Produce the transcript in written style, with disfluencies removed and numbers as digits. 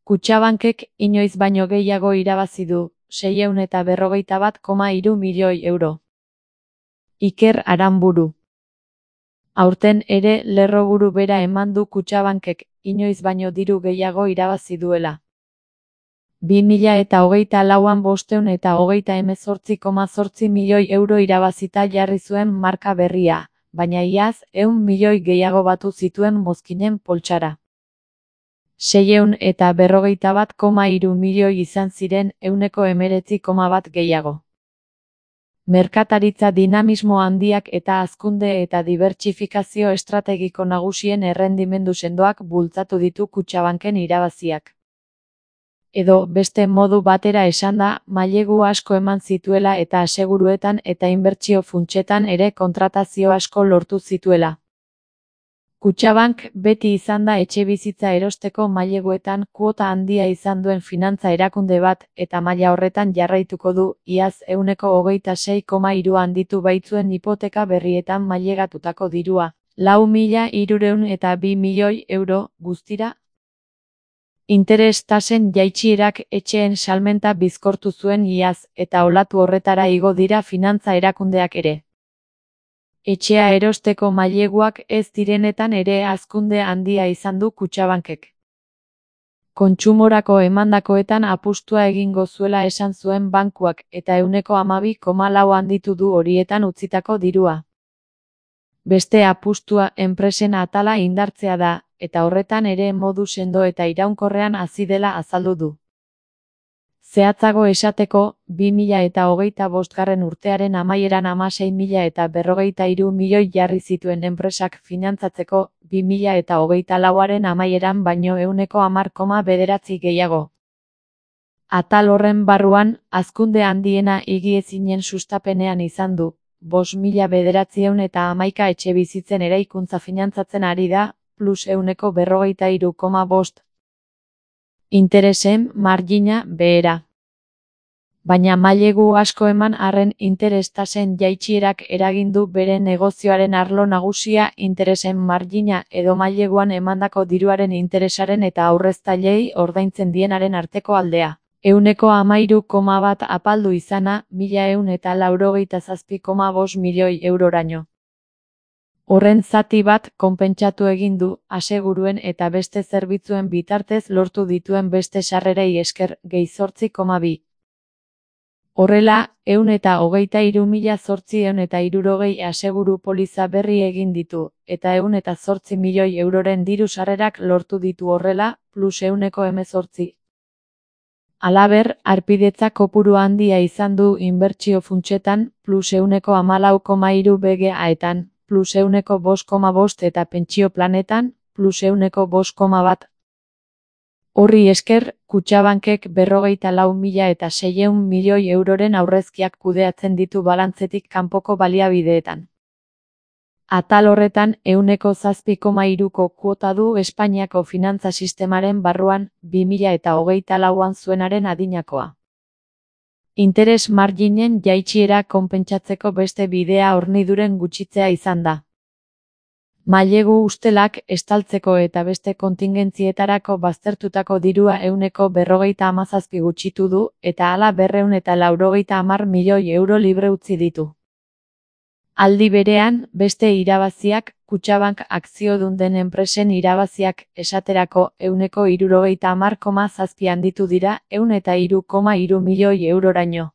Kutxabankek inoiz baino gehiago irabazi du, 641,3 milioi euro. Iker Aranburu. Aurten ere lerroburu bera eman du Kutxabankek, inoiz baino diru gehiago irabazi duela. 2024an 528,8 milioi euro irabazita jarri zuen marka berria, baina iaz 100 milioi gehiago batu zituen mozkinen poltsara. 641,3 milioi izan ziren 19,1 gehiago. Merkataritza dinamismo handiak eta hazkunde eta dibertsifikazio estrategiko nagusien errendimendu sendoak bultzatu ditu Kutxabanken irabaziak. Edo, beste modu batera esanda, mailegu asko eman zituela eta aseguruetan eta inbertsio funtsetan ere kontratazio asko lortu zituela. Kutxabank beti izan da etxebizitza erosteko maileguetan kuota handia izan duen finantza erakunde bat, eta maila horretan jarraituko du, iaz 26,3 handitu baitzuen hipoteka berrietan mailegatutako dirua, 4.302 milioi euro, guztira. Interes tasen jaitsierak etxeen salmenta bizkortu zuen iaz, eta olatu horretara igo dira finantza erakundeak ere. Etxea erosteko maileguak ez direnetan ere hazkunde handia izan du Kutxabankek. Kontsumorako emandakoetan apustua egingo zuela esan zuen bankuak, eta 12,4 handitu du horietan utzitako dirua. Beste apustua enpresen atala indartzea da, eta horretan ere modu sendo eta iraunkorrean hasi dela azaldu du. Zehatzago esateko, 2025 urtearen amaieran 16.043 milioi jarri zituen enpresak finantzatzeko, 2024aren amaieran baino 10,9 gehiago. Atal horren barruan, hazkunde handiena higiezinen sustapenean izan du, 5.911 etxebizitzen eraikuntza finantzatzen ari da, plus 143,5. Interesen margina behera. Baina mailegu asko eman arren interes tasen jaitsierak eragin du bere negozioaren arlo nagusia interesen margina edo maileguan emandako diruaren interesaren eta aurreztailei ordaintzen dienaren arteko aldea. 13,1 apaldu izana, 1.187,5 milioi euroraino. Horren zati bat konpentsatu egin du, aseguruen eta beste zerbitzuen bitartez lortu dituen beste sarrerei esker, gehi 8,2. Horrela, 123.860 aseguru poliza berri egin ditu, eta 108 milioi euroren diru sarrerak lortu ditu horrela, plus 118. Halaber, harpidetza kopuru handia izan du inbertsio funtsetan, plus 114,3 BGA-etan, plus 105,5 eta pentsio planetan, plus 105,1. Horri esker, Kutxabankek 44.600 milioi euroren aurrezkiak kudeatzen ditu balantzetik kanpoko baliabideetan. Atal horretan 7,3ko kuota du Espainiako finantza sistemaren barruan, 2024an zuenaren adinakoa. Interes marginen jaitsiera konpentsatzeko beste bidea horniduren gutxitzea izan da. Mailegu ustelak estaltzeko eta beste kontingentzietarako baztertutako dirua 157 gutxitu du, eta hala 290 milioi euro libre utzi ditu. Aldi berean, beste irabaziak, Kutxabank akziodun den enpresen irabaziak, esaterako 170,7 handitu dira, 103,3 milioi euroraino.